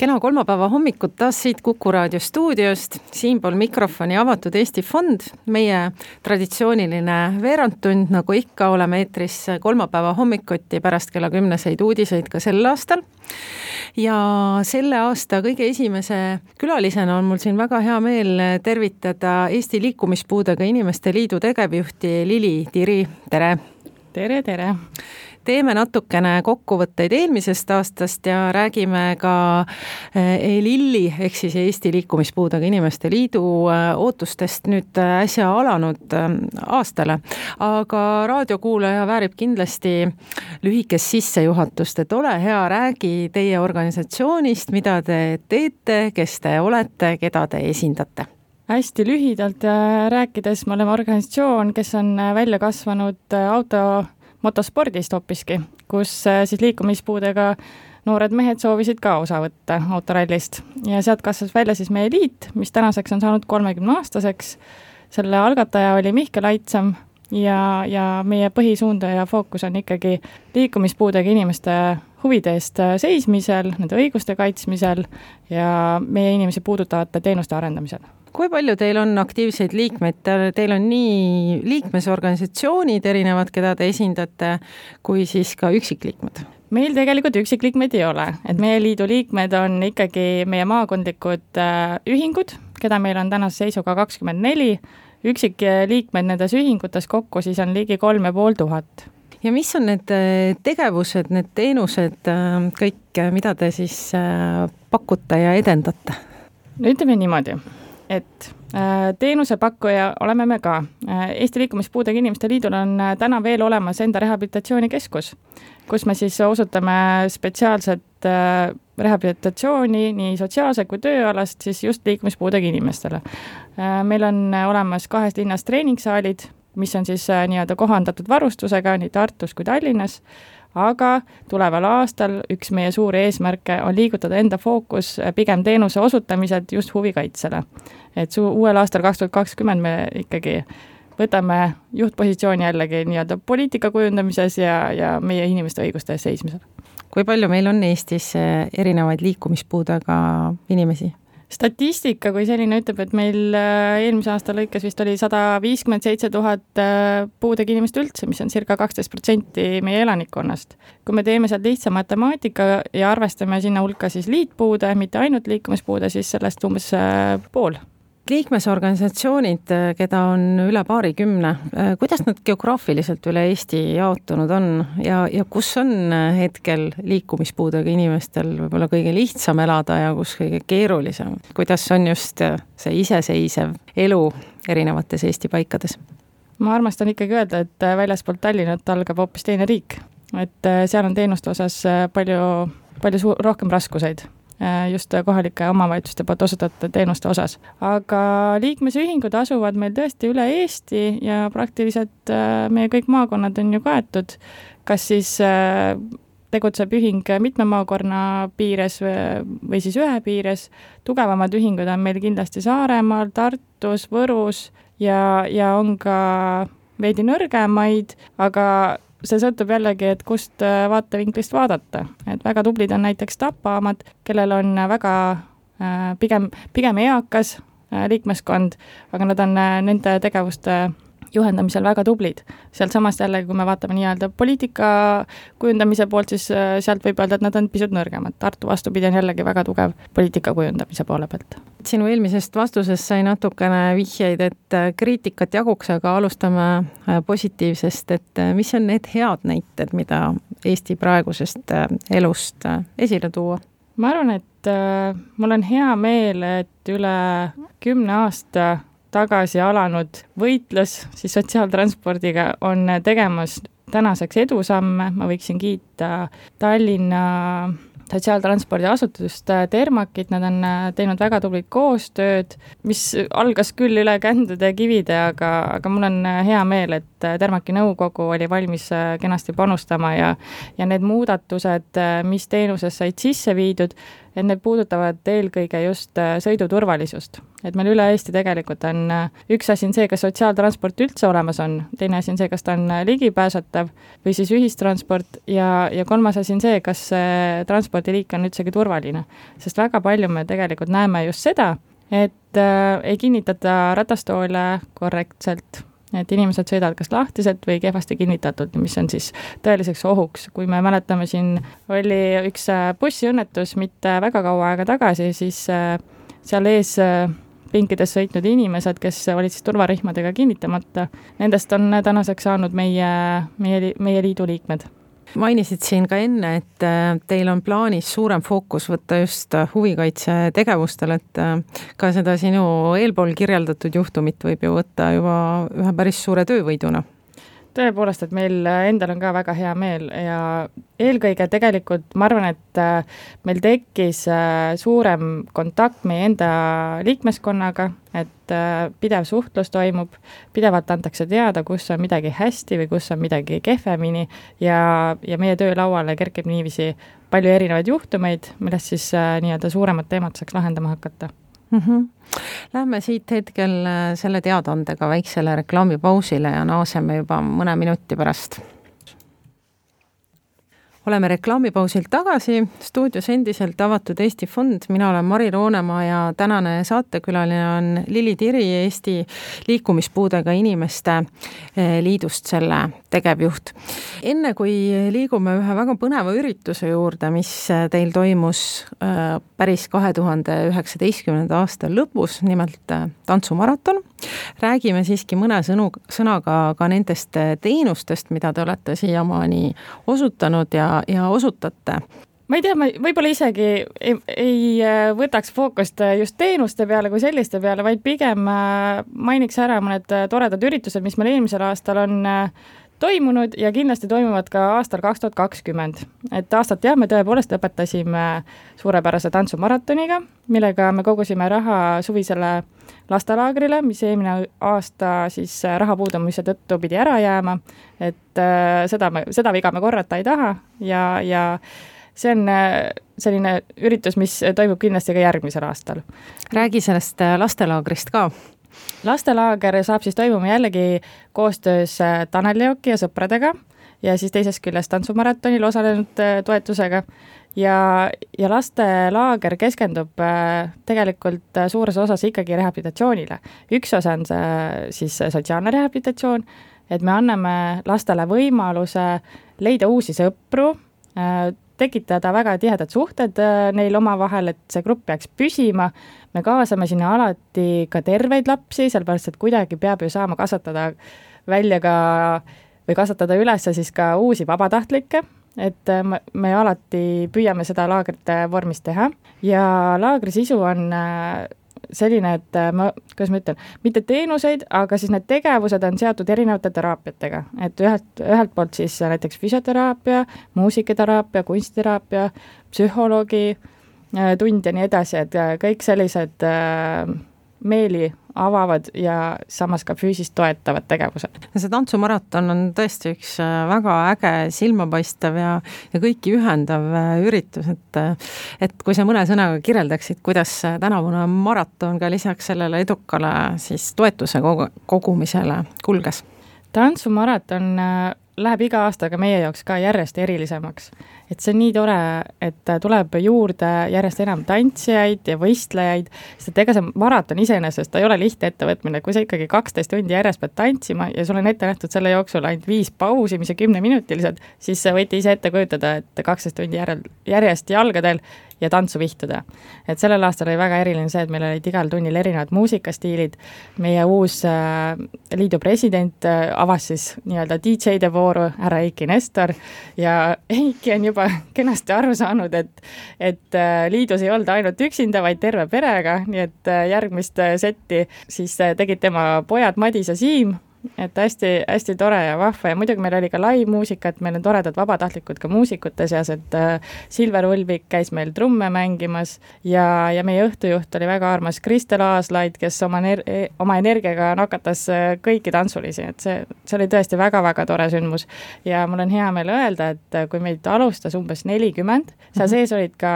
Kena kolmapäeva hommikut taas siit Kuku Raadio stuudiost, siinpool mikrofoni Avatud Eesti Fond, meie traditsiooniline veerandtund, nagu ikka oleme eetris kolmapäeva hommikuti pärast kella 10 uudiseid ka sel aastal. Ja selle aasta kõige esimese külalisena on mul siin väga hea meel tervitada Eesti Liikumispuudega Inimeste Liidu tegevjuhti Lili Tiri, tere! Tere, tere! Teeme natukene kokkuvõtteid eelmisest aastast ja räägime ka ELILi ehk siis Eesti Liikumispuudega Inimeste Liidu ootustest nüüd äsja alanud aastale. Aga raadiokuulaja väärib kindlasti lühikest sissejuhatust, et ole hea, räägi teie organisatsioonist, mida te teete, kes te olete, keda te esindate. Hästi lühidalt rääkides, me oleme organisatsioon, kes on välja kasvanud motospordist hoopiski, kus siis liikumispuudega noored mehed soovisid ka osa võtta autorallist. Ja sealt kasvas välja siis meie liit, mis tänaseks on saanud 30-aastaseks. Selle algataja oli Mihkel Aitsam ja meie põhisuund ja fookus on ikkagi liikumispuudega inimeste huvide eest seismisel, nende õiguste kaitsmisel ja meie inimesi puudutavate teenuste arendamisel. Kui palju teil on aktiivseid liikmeid? Teil on nii liikmesorganisatsioonid erinevad, keda te esindate, kui siis ka üksikliikmed? Meil tegelikult üksikliikmeid ei ole. Et meie liidu liikmed on ikkagi meie maakondlikud ühingud, keda meil on tänase seisuga 24. Üksikliikmed nendes ühingutes kokku siis on ligi 3500. Ja mis on need tegevused, need teenused, kõik, mida te siis pakute ja edendate? No ütleme niimoodi, et teenusepakkuja oleme me ka. Eesti Liikumispuudega Inimeste Liidul on täna veel olemas enda rehabilitatsioonikeskus, kus me siis osutame spetsiaalset rehabilitatsiooni nii sotsiaalse kui tööalast siis just liikumispuudega inimestele. Meil on olemas 2 linnas treeningsaalid, mis on siis nii-öelda kohandatud varustusega nii Tartus kui Tallinnas, aga tuleval aastal üks meie suuri eesmärke on liigutada enda fookus pigem teenuse osutamised just huvikaitsele. Et uuel aastal 2020 me ikkagi võtame juhtpositsiooni jällegi nii-öelda poliitika kujundamises ja meie inimeste õiguste eest seismisel. Kui palju meil on Eestis erinevaid liikumispuudega inimesi? Statistika kui selline ütleb, et meil eelmise aasta lõikes vist oli 157 000 puudega inimest üldse, mis on circa 12% meie elanikkonnast. Kui me teeme sealt lihtsa matemaatika ja arvestame sinna hulka siis liitpuude, mitte ainult liikumispuude, siis sellest umbes pool. Liikmesorganisatsioonid, keda on üle 20, kuidas nad geograafiliselt üle Eesti jaotunud on ja kus on hetkel liikumispuudega inimestel võib-olla kõige lihtsam elada ja kus kõige keerulisem? Kuidas on just see iseseisev elu erinevates Eesti paikades? Ma armastan ikkagi öelda, et väljaspoolt Tallinnat algab hoopis teine riik. Et seal on teenuste osas palju rohkem raskuseid just kohalike omavalitsuste poolt osutatud teenuste osas. Aga liikmesühingud asuvad meil tõesti üle Eesti ja praktiliselt meie kõik maakonnad on ju kaetud, kas siis tegutseb ühing mitme maakonna piires või siis ühe piires. Tugevamad ühingud on meil kindlasti Saaremaal, Tartus, Võrus ja on ka veidi nõrgemaid, aga see sõltub jällegi, et kust vaatevinklist vaadata. Et väga tublid on näiteks Tapaamad, kellel on väga pigem eakas liikmeskond, aga nad on nende tegevuste juhendamisel väga tublid. Sealt samast jällegi, kui me vaatame nii-öelda poliitika kujundamise poolt, siis sealt võib öelda, et nad on pisut nõrgemad. Tartu vastupidi on jällegi väga tugev poliitika kujundamise poole pealt. Sinu eelmisest vastusest sai natukene vihjeid, et kriitikat jaguks, aga alustame positiivsest, et mis on need head näited, mida Eesti praegusest elust esile tuua? Ma arvan, et mul on hea meel, et üle 10 aasta tagasi alanud võitlus siis sotsiaaltranspordiga on tegemas tänaseks edusamme. Ma võiksin kiita Tallinna sotsiaaltranspordiasutust Termakit, nad on teinud väga tublit koostööd, mis algas küll üle kändude ja kivide, aga mul on hea meel, et Termaki nõukogu oli valmis kenasti panustama ja need muudatused, mis teenuses said sisse viidud, et need puudutavad eelkõige just sõiduturvalisust. Et meil üle Eesti tegelikult on üks asi on see, kas sotsiaaltransport üldse olemas on, teine asi on see, kas ta on ligipääsetav või siis ühistransport ja kolmas asi on see, kas see transpordiliik on üldsegi turvaline. Sest väga palju me tegelikult näeme just seda, et ei kinnitata ratastoole korrektselt, et inimesed sõidavad kas lahtiselt või kehvasti kinnitatult, mis on siis tõeliseks ohuks. Kui me mäletame, siin oli üks bussiõnnetus mitte väga kaua aega tagasi, siis seal ees pinkides sõitnud inimesed, kes olid siis turvarihmadega kinnitamata, nendest on tänaseks saanud meie liidu liikmed. Mainisid siin ka enne, et teil on plaanis suurem fookus võtta just huvikaitse tegevustel, et ka seda sinu eelpool kirjeldatud juhtumit võib ju võtta juba ühe päris suure töövõiduna. Tõepoolest, et meil endal on ka väga hea meel ja eelkõige tegelikult ma arvan, et meil tekkis suurem kontakt meie enda liikmeskonnaga, et pidev suhtlus toimub, pidevalt antakse teada, kus on midagi hästi või kus on midagi kehvemini ja meie töölauale kerkib niiviisi palju erinevaid juhtumeid, millest siis nii-öelda suuremad teemad saaks lahendama hakata. Lähme siit hetkel selle teadaandega väiksele reklaamipausile ja naaseme juba mõne minuti pärast. Oleme reklaamipausilt tagasi, stuudios endiselt avatud Eesti Fond, mina olen Mari Roonemaa ja tänane saatekülaline on Lili Tiri, Eesti liikumispuudega inimeste liidust selle tegevjuht. Enne kui liigume ühe väga põneva ürituse juurde, mis teil toimus päris 2019. aasta lõpus, nimelt tantsumaraton, räägime siiski mõne sõnaga ka nendest teenustest, mida te olete siiamaani osutanud ja osutate. Ma ei tea, ma võib-olla isegi ei võtaks fookust just teenuste peale kui selliste peale, vaid pigem mainiks ära mõned toredad üritused, mis meil eelmisel aastal on toimunud ja kindlasti toimuvad ka aastal 2020. Et aastat me tõepoolest lõpetasime suurepärase tantsumaratoniga, millega me kogusime raha suvisele lastelaagrile, mis eelmine aasta siis raha puudumise tõttu pidi ära jääma, et seda viga me korrata ei taha ja see on selline üritus, mis toimub kindlasti ka järgmisel aastal. Räägi sellest lastelaagrist ka. Lastelaager saab siis toimuma jällegi koostöös Tanel Leoki ja sõpradega ja siis teisest küljest tantsumaratonil osalenud toetusega ja lastelaager keskendub tegelikult suures osas ikkagi rehabilitatsioonile. Üks osa on see siis sotsiaalne rehabilitatsioon, et me anname lastele võimaluse leida uusi sõpru, tekitada väga tihedad suhted neil omavahel, et see grupp peaks püsima. Me kaasame sinna alati ka terveid lapsi, sellepärast, et kuidagi peab ju saama kasvatada välja ka või kasvatada üles siis ka uusi vabatahtlikke, et me alati püüame seda laagrite vormis teha ja laagri sisu on selline, et kuidas ma ütlen, mitte teenuseid, aga siis need tegevused on seotud erinevate teraapiatega, et ühelt poolt siis näiteks füsioteraapia, muusikateraapia, kunstiteraapia, psühholoogi tund ja nii edasi, et kõik sellised meeli avavad ja samas ka füüsist toetavad tegevused. See tantsumaraton on tõesti üks väga äge, silmapaistev ja kõiki ühendav üritus, et kui sa mõne sõnaga kirjeldaksid, kuidas tänavune maraton ka lisaks sellele edukale siis toetuse kogumisele kulges? Tantsumaraton läheb iga aastaga meie jaoks ka järjest erilisemaks. Et see on nii tore, et tuleb juurde järjest enam tantsijaid ja võistlejaid, sest ega see maraton iseenesest ei ole lihtne ettevõtmine, kui sa ikkagi 12 tundi järjest pead tantsima ja sul on ette nähtud selle jooksul ainult 5 pausi, mis on 10-minutilised, siis võite ise ette kujutada, et 12 tundi järjest jalgadel ja tantsu vihtuda. Et sellel aastal oli väga eriline see, et meil olid igal tunnil erinevad muusikastiilid. Meie uus liidu president avas siis nii-öelda DJ-de vooru, härra Eiki Nestor, ja Eiki on juba kenasti aru saanud, et liidus ei olnud ainult üksinda, vaid terve perega, nii et järgmist setti siis tegid tema pojad Madis ja Siim et hästi tore ja vahva ja muidugi meil oli ka live-muusika, et meil on toredad vabatahtlikud ka muusikute seas, et Silver Ulvik käis meil trumme mängimas ja meie õhtujuht oli väga armas Kristel Aaslaid, kes oma energiaga nakatas kõiki tantsulisi, et see oli tõesti väga-väga tore sündmus. Ja mul on hea meel öelda, et kui meid alustas umbes 40, seal sees olid ka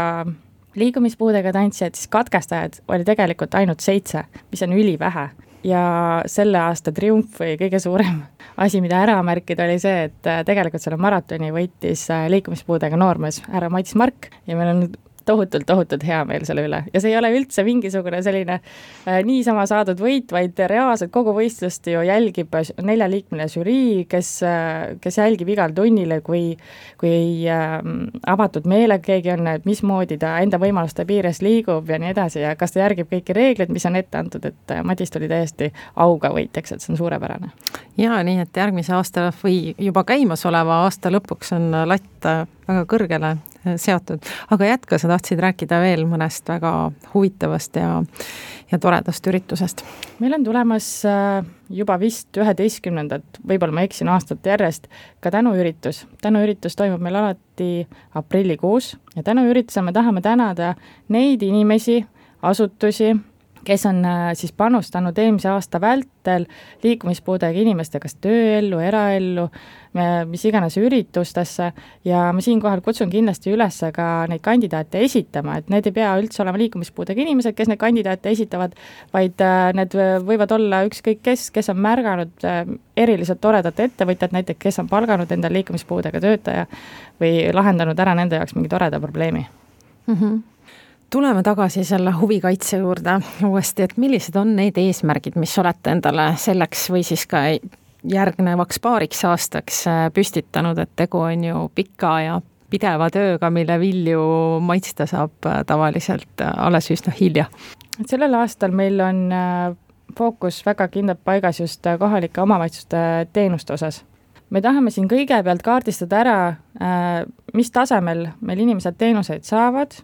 liikumispuudega tantsijad, siis katkestajad oli tegelikult ainult 7, mis on ülivähe. Ja selle aasta triumf või kõige suurem asi, mida ära märkida, oli see, et tegelikult selle maratoni võitis liikumispuudega noormees härra Mats Mark ja meil on tohutult hea meel selle üle. Ja see ei ole üldse mingisugune selline niisama saadud võit, vaid reaalselt kogu võistlust ju jälgib 4-liikmeline žürii, kes jälgib igal tunnile, kui avatud meelega keegi on, et mismoodi ta enda võimaluste piires liigub ja nii edasi ja kas ta järgib kõiki reegleid, mis on ette antud, et Madis tuli täiesti auga võitjaks, et see on suurepärane. Ja nii, et järgmise aasta või juba käimasoleva aasta lõpuks on latt väga kõrgele seatud, aga jätka, sa tahtsid rääkida veel mõnest väga huvitavast ja toredast üritusest. Meil on tulemas juba vist 11. võib-olla ma eksin aastat järjest, ka tänuüritus. Tänuüritus toimub meil alati aprillikuus ja tänuüritusel me tahame tänada neid inimesi, asutusi, kes on siis panustanud eelmise aasta vältel liikumispuudega inimeste kas tööellu, eraellu, mis iganes üritustesse ja ma siinkohal kutsun kindlasti üles ka neid kandidaate esitama, et need ei pea üldse olema liikumispuudega inimesed, kes neid kandidaate esitavad, vaid need võivad olla ükskõik kes on märganud eriliselt toredat ettevõtjat, näiteks kes on palganud endal liikumispuudega töötaja või lahendanud ära nende jaoks mingi toreda probleemi. Tuleme tagasi selle huvikaitse juurde uuesti, et millised on need eesmärgid, mis olete endale selleks või siis ka järgnevaks paariks aastaks püstitanud, et tegu on ju pika ja pideva tööga, mille vilju maitsta saab tavaliselt alles üsna hilja. Sellel aastal meil on fookus väga kindlalt paigas just kohalike omavalitsuste teenuste osas. Me tahame siin kõigepealt kaardistada ära, mis tasemel meil inimesed teenuseid saavad,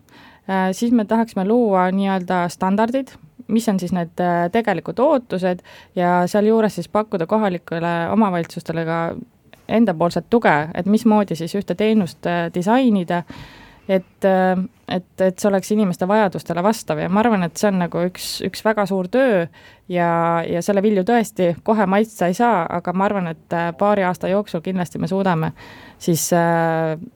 siis me tahaksime luua nii-öelda standardid, mis on siis need tegelikud ootused ja seal juures siis pakkuda kohalikele omavalitsustele ka endapoolset tuge, et mismoodi siis ühte teenust disainida, et see oleks inimeste vajadustele vastav ja ma arvan, et see on nagu üks väga suur töö ja selle vilju tõesti kohe maitsta ei saa, aga ma arvan, et paari aasta jooksul kindlasti me suudame siis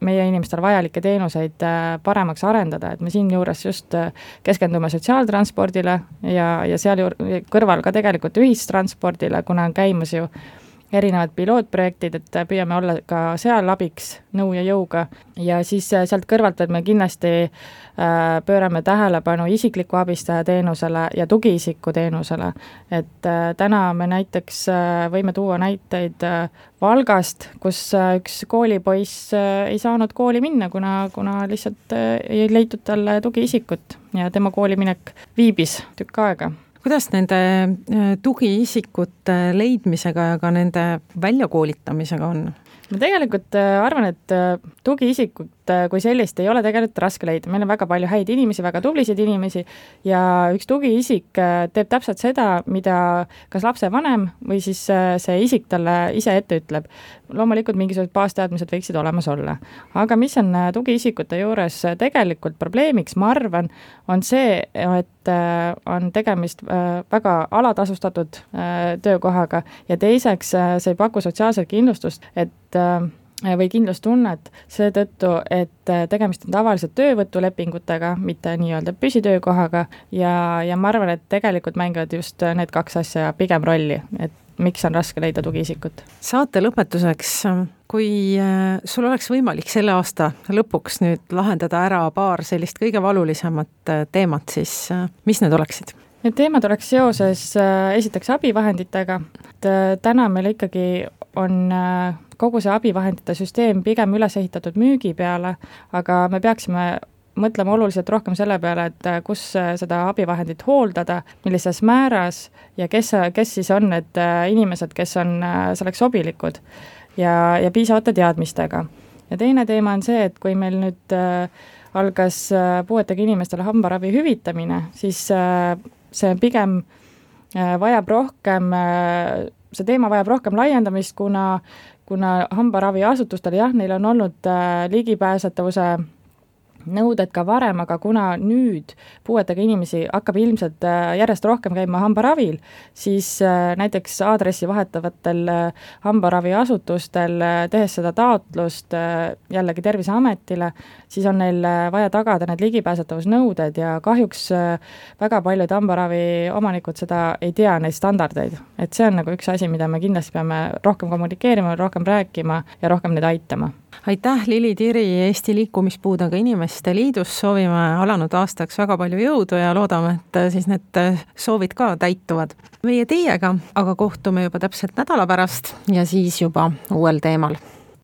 meie inimestele vajalikke teenuseid paremaks arendada, et me siin juures just keskendume sotsiaaltranspordile ja seal kõrval ka tegelikult ühistranspordile, kuna on käimas ju erinevad pilootprojektid, et püüame olla ka seal abiks nõu ja jõuga ja siis sealt kõrvalt me kindlasti pöörame tähelepanu isikliku abistaja teenusele ja tugiisiku teenusele, et täna me näiteks võime tuua näiteid Valgast, kus üks koolipoiss ei saanud kooli minna, kuna lihtsalt ei leitud talle tugiisikut ja tema kooliminek viibis tükk aega. Kuidas nende tugiisikute leidmisega ja ka nende väljakoolitamisega on? Ma tegelikult arvan, et tugiisikut kui sellist ei ole tegelikult raske leida. Meil on väga palju häid inimesi, väga tublisid inimesi ja üks tugiisik teeb täpselt seda, mida kas lapse vanem või siis see isik talle ise ette ütleb. Loomulikult mingisugused baasteadmised võiksid olemas olla. Aga mis on tugiisikute juures tegelikult probleemiks, ma arvan, on see, et on tegemist väga alatasustatud töökohaga ja teiseks see ei paku sotsiaalset kindlustust, või kindlustunnet seetõttu, et tegemist on tavaliselt töövõtulepingutega, mitte nii-öelda püsitöökohaga ja ma arvan, et tegelikult mängivad just need kaks asja pigem rolli, et miks on raske leida tugiisikut. Saate lõpetuseks, kui sul oleks võimalik selle aasta lõpuks nüüd lahendada ära paar sellist kõige valulisemat teemat, siis mis need oleksid? Need teemad oleks seoses esiteks abivahenditega, et täna meil ikkagi on kogu see abivahendite süsteem pigem üles ehitatud müügi peale, aga me peaksime mõtlema oluliselt rohkem selle peale, et kus seda abivahendit hooldada, millises määras ja kes siis on need inimesed, kes on selleks sobilikud ja piisavate teadmistega. Ja teine teema on see, et kui meil nüüd algas puuetega inimestele hambaravi hüvitamine, siis see pigem vajab rohkem see teema vajab rohkem laiendamist, kuna hambaraviasutustel jah, neil on olnud ligipääsetavuse nõuded ka varem, aga kuna nüüd puuetega inimesi hakkab ilmselt järjest rohkem käima hambaravil, siis näiteks aadressi vahetavatel hambaraviasutustel, tehes seda taotlust jällegi Terviseametile, siis on neil vaja tagada need ligipääsetavusnõuded ja kahjuks väga paljud hambaravi omanikud seda ei tea, neid standardeid. Et see on nagu üks asi, mida me kindlasti peame rohkem kommunikeerima, rohkem rääkima ja rohkem neid aitama. Aitäh, Lili Tiri Eesti Liikumispuudega Inimeste Liidust, soovime alanud aastaks väga palju jõudu ja loodame, et siis need soovid ka täituvad. Meie teiega aga kohtume juba täpselt nädala pärast ja siis juba uuel teemal.